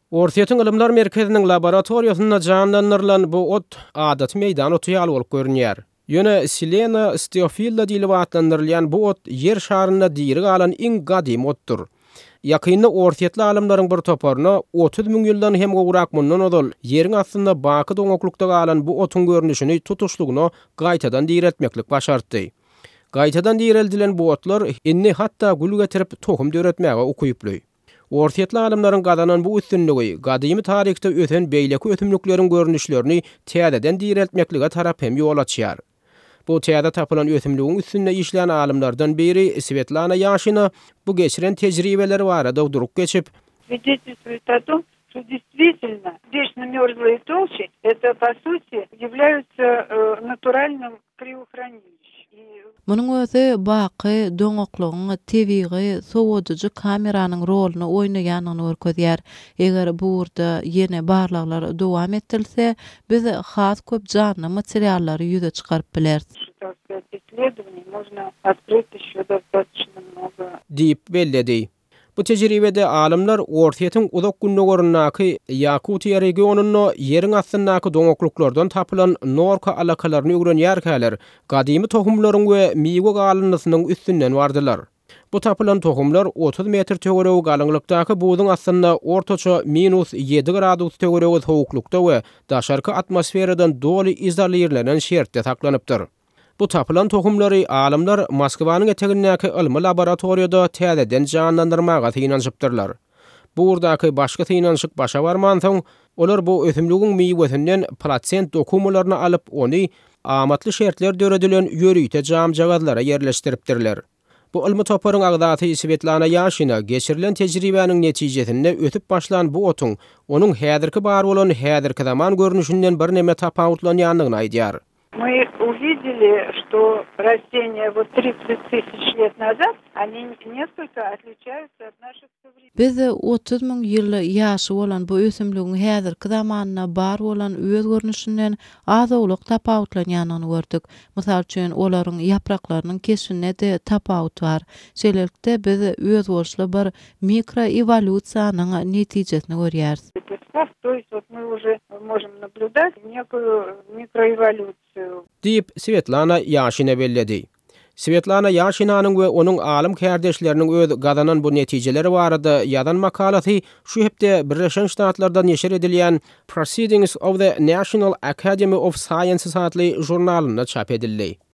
Orsýetiň Ylymlar merkeziniň laboratoriýasynda janlandyrylan bu ot adaty meýdan oty ýaly bolup görünýär. Ýöne Silena steofilla diýlip atlandyrylýan bu ot Ýer şarynda diri galan iň gadymy otdur. Ýakynda orsýetli alymlaryň bir toparyna 30 000 ýyldan hem gowrak mundan ozal Ýeriň astynda baky doňaklykda galan bu otuň görnüşini tutuşlygyna gaýtadan direltmeklik başartdy. Gaýtadan direldilen bu otlar indi hatda gül getirip tohum döretmäge ukyply. Orsýetli alymlaryň gazanan bu üstünligi gadymy taryhda ösen beýleki ösümlikleriň görnüşlerini täzeden direltmeklige tarap hem ýol açýar. Bu täze tapylan ösümligiň üstünde işlän alymlardan biri Swetlana Ýaşina bu geçiren tejribeleri barada durup geçip, Свидетельствует о том, что действительно вечно мерзлые толщи это по сути являются натуральным криохранилищем. Munuň özi baky doňaklygyň tebigy sowadyjy kameranyň roluny oýnaýandygyny görkezýär. Eger bu ugurda ýene barlaglar dowam etdirilse, biz has köp janly materiallary ýüze çykaryp bileris. Diýip belledi. Bu tejribede alymlar Orsýetiň uzak gündogaryndaky Ýakutiýa regionynda ýeriň astyndaky doňaklyklardan tapylan norka alakalaryny öwrenýärkäler, gadymy tohumlaryň we miwe galyndysynyň üstünden bardylar. Bu tapylan tohumlar 30 metr töweregi galyňlykdaky buzuň astynda ortaça minus ýedi gradus töweregi sowuklykda we daşarky atmosferadan doly izolirlenen şertde saklanypdyr. Bu tapylan tohumlary alymlar Moskwanyň etegindäki ylmy laboratoriýada täzeden janlandyrmaga synanyşypdyrlar. Bu ugurdaky başky synanyşyk başa barmansoň, olar bu ösümligiň miwesinden plasent dokumalaryny alyp, ony amatly şertler döredilen ýörite jamjagazlara ýerleşdiripdirler. Bu ylmy toparyň agzasy Swetlana Ýaşina geçirilen tejribäniň netijesinde ösüp başlan bu otuň onuň häzirki bar bolan häzirki zaman görnüşinden birneme tapawutlanýandygyny aýdýar. Мы увидели, что растения вот 30 тысяч лет назад, они несколько отличаются от наших современных. Biz 30 000 ýyl ýaşy bolan bu ösümligiň häzirki zamanda bar bolan öz görnüşinden az-owlak tapawutlanýandygyny gördük. Mysal üçin, olaryň ýapraklarynyň keşbinde-de tapawut bar. Şeýlelikde, biz özboluşly bir mikroewolýusiýanyň netijesini görýäris. Лепестков, то есть вот мы уже можем наблюдать некую микроэволюцию. Diýip, Swetlana Ýaşina belledi. Swetlana Ýaşinanyň we onuň alym kärdeşleriniň öz gazanan bu netijeleri barada ýazan makalasy şu hepde Birleşen Ştatlarda neşir edilýän Proceedings of the National Academy of Sciences atly žurnalynda çap edildi.